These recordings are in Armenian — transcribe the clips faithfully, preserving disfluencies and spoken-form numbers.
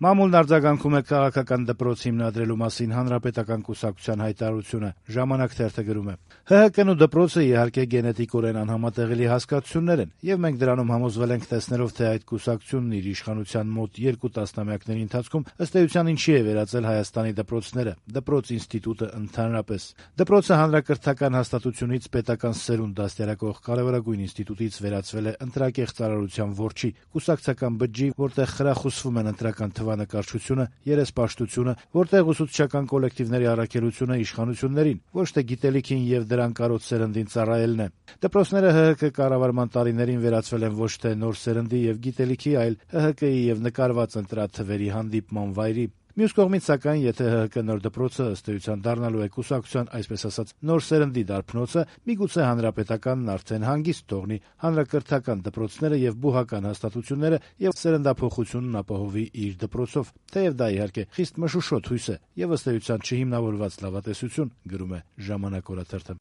Մամուլն արձագանքում է քաղաքական դպրոց հիմնադրելու մասին Հանրապետական կուսակցության հայտարարությունը։ Ժամանակ թերթը գրում է. «Հ Հ Կն ու դպրոցը իհարկե գենետիկորեն անհամատեղելի հասկացություններ են, եւ մենք դրանում համոզվել ենք տեսնելով, թե այդ կուսակցությունն իր իշխանության մոտ երկու տասնամյակների ընթացքում ըստ էության ինչի է վերածել Հայաստանի դպրոցները, դպրոց ինստիտուտը ընդհանրապես։ Դպրոցը հանրակրթական հաստատությունից պետական սերունդ դաստիարակող կարեւորագույն ինստիտուտից վերածվել է ընտրակեղ ծառայության որջի, կուսակցական բջջի, որտեղ խրախուսվում են ընտրական թվանկարչությունը, երեսպաշտությունը, որտեղ ուսուցչական կոլեկտիվների առաքելությունը իշխանություններին, ոչ թե գիտելիքին եւ դրան կարոտ սերնդին ծառայելն է։ Դպրոցները Հ Հ Կ կառավարման տարիներին վերածվել են ոչ թե նոր սերնդի եւ գիտելիքի, այլ Հ Հ Կ-ի եւ նկարված ընտրաթվերի հանդիպման վայրի։ Մյուս կողմից, սակայն, եթե Հ Հ Կ նոր դպրոցը ըստ էության դառնալու է կուսակցության, այսպես ասած, նոր սերնդի դարբնոցը, միգուցե Հանրապետականն արդեն հանգիստ թողնի հանրակրթական դպրոցները եւ բուհական հաստատությունները եւ սերնդափոխությունն ապահովի իր դպրոցով, թեեւ դա իհարկե խիստ մշուշոտ հույս է եւ ըստ էության չհիմնավորված լավատեսություն, գրում է Ժամանակ օրաթերթը։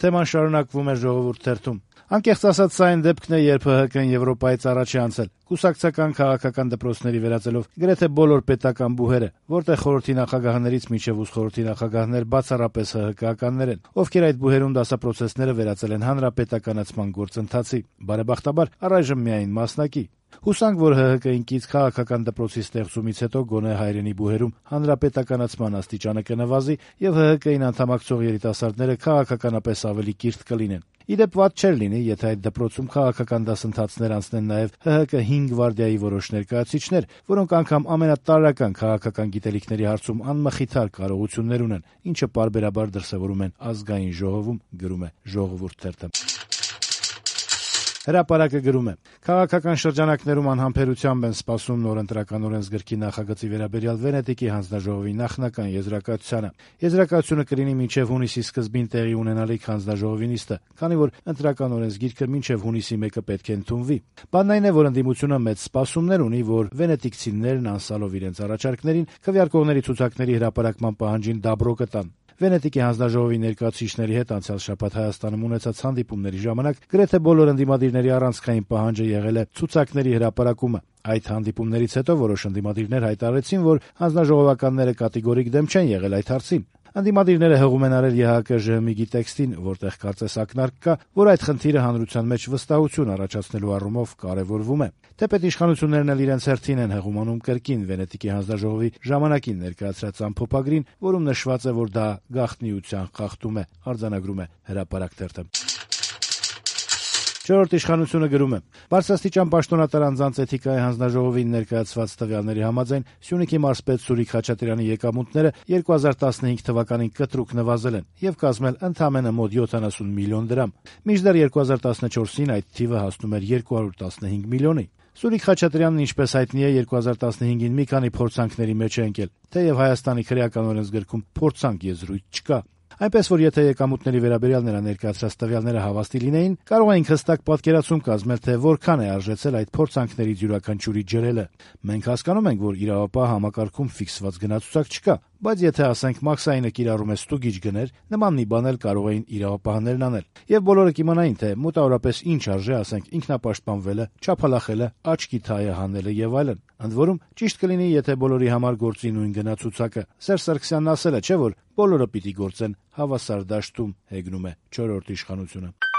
Թեման շարունակվում է Ժողովուրդ թերթում. «Անկեղծ ասած, սա այն դեպքն է, երբ Հ Հ Կն Եվրոպայից առաջ է անցել, կուսակցական քաղաքական դպրոցների վերածելով գրեթե բոլոր պետական բուհերը, որտեղ խորհրդի նախագահներից մինչև ուսխորհրդի նախագահներ բացառապես Հ Հ Կ-ականներ են, ովքեր այդ բուհերում դասապրոցեսները վերածել են հանրապետականացման գործընթացի, բարեբախտաբար առայժմ միայն մասնակի։ Հուսանք, որ Հ Հ Կ-ին կից քաղաքական դպրոցի ստեղծումից հետո գոնե հայրենի բուհերում հանրապետականացման աստիճանը կնվազի եւ Հ Հ Կ-ին անդամակցող երիտասարդները քաղաքականապես ավելի կիրթ կլինեն։ Ի դեպ, վատ չէր լինի, եթե այդ դպրոցում քաղաքական դասընթացներ անցնեն նաեւ Հ Հ Կ հինգ գվարդիայի որոշ ներկայացուցիչներ, որոնք անգամ ամենատարրական քաղաքական գիտելիքների հարցում անմխիթար կարողություններ ունեն, ինչը պարբերաբար դրսեւորում են Ազգային ժողովում», գրում է Ժողովուրդ թերթը։ Հրապարակը գրում է. «Քաղաքական շրջանակներում անհամբերությամբ են սպասում նոր ընտրական օրենսգրքի նախագծի վերաբերյալ Վենետիկի հանձնաժողովի նախնական եզրակացությանը։ Եզրակացությունը կլինի մինչև հունիսի սկզբին տեղի ունենալիք հանձնաժողովի նիստը, քանի որ ընտրական օրենսգիրքը մինչև հունիսի մեկը պետք է ընդունվի։ Բանն այն է, որ ընդդիմությունը մեծ սպասումներ ունի, որ վենետիկցիներն անսալով իրենց առաջարկներին քվեարկողների ցուցակների հրապարակման պահանջին դաբրո կտան։ Վենետիկի հանձնաժողովի ներկայացուցիչների հետ անցյալ շաբաթ Հայաստանում ունեցած հանդիպումների ժամանակ գրեթե բոլոր ընդդիմադիրների առանցքային պահանջը եղել է ցուցակների հրապարակումը։ Այդ հանդիպումներից հետո որոշ ընդդիմադիրներ հայտարարեցին, որ հանձնաժողովականները կատեգորիկ դեմ չեն եղել այդ հարցին։ Ընդդիմադիրները հղում են արել Ե Հ Կ Ժ Հ տեքստին, որտեղ կարծես ակնարկ կա, որ այդ խնդիրը հանրության մեջ վստահություն առաջացնելու առումով կարևորվում է։ Թեպետ իշխանություններն էլ իրենց հերթին են հղում անում կրկին Վենետիկի հանձնաժողովի ժամանակին ներկայացրած ամփոփագրին, որում նշված է, որ դա գաղտնիության խախտում է, արձանագրում է Հրապարակ թերթը։ Չորրորդ իշխանությունը գրում է. «Բարձրաստիճան պաշտոնատար անձանց էթիկայի հանձնաժողովին ներկայացված տվյալների համաձայն Սյունիքի մարզպետ Սուրիկ Խաչատրյանի եկամուտները երկու հազար տասնհինգ թվականին կտրուկ նվազել են եւ կազմել ընդամենը մոտ յոթանասուն միլիոն դրամ։ Մինչդեռ երկու հազար տասնչորսին այդ թիվը հասնում էր երկու հարյուր տասնհինգ միլիոնի։ Սուրիկ Խաչատրյանն, ինչպես հայտնի է, երկու հազար տասնհինգին մի քանի փորձանքների մեջ է ընկել, թեև Հայաստանի քրեական օրենսգրքում փորձանք եզրույթ չկա։ Այնպես որ եթե եկամուտների վերաբերյալ նրա ներկայացրած տվյալները հավաստի լինեին, կարող էինք հստակ պատկերացում կազմել, թե որքան է արժեցել այդ փորձանքներից յուրաքանչյուրի ջրելը։ Մենք հասկանում ենք, որ իրավապահ համակարգում ֆիքսված գնացուցակ չկա, բայց եթե ասենք մաքսայինը կիրառում է ստուգիչ գներ, նման մի բան էլ կարող էին իրավապահներն անել։ Եվ բոլորը կիմանային, թե մոտավորապես ինչ արժե, ասենք, ինքնապաշտպանվելը, չափալախելը, աչքի թայը հանելը եւ այլն։ Ընդ որում, ճիշտ կլինի, եթե բոլորի համար գործի նույն գնացուցակը։ Սերժ Սարգսյանն ասել է, չէ՞ որ բոլորը պիտի գործեն հավասար դաշտում», հեգնում է Չորրորդ իշխանությունը։